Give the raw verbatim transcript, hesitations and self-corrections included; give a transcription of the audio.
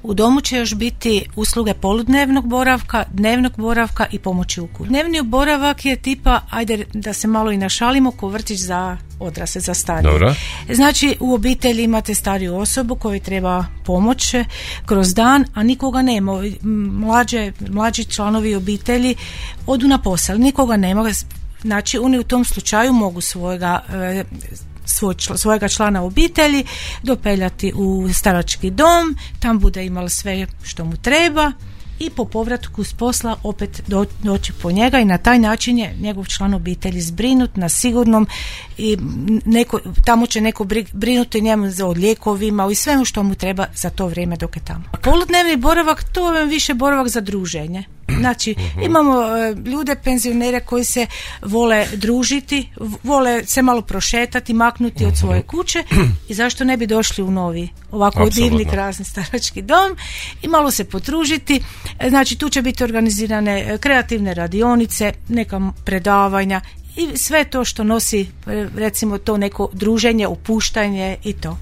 U domu će još biti usluge poludnevnog boravka, dnevnog boravka i pomoći u kući. Dnevni boravak je tipa, ajde da se malo i našalimo, ko vrtić za odrasle, za starije. Dobro. Znači u obitelji imate stariju osobu kojoj treba pomoć kroz dan, a nikoga nema. Mlađe, mlađi članovi obitelji odu na posao, nikoga nema. Znači oni u tom slučaju mogu svojega Svoj, svojega člana obitelji dopeljati u starački dom, tam bude imala sve što mu treba i po povratku s posla opet do, doći po njega i na taj način je njegov član obitelji zbrinut na sigurnom i neko, tamo će neko brinuti njemu za lijekovima i svemu što mu treba za to vrijeme dok je tamo. Poludnevni boravak, to je više boravak za druženje. Znači, imamo uh, ljude, penzionere koji se vole družiti, vole se malo prošetati, maknuti od svoje kuće i zašto ne bi došli u novi, ovako divni, krasni starački dom i malo se potružiti. Znači, tu će biti organizirane kreativne radionice, neka predavanja i sve to što nosi, recimo, to neko druženje, opuštanje i to.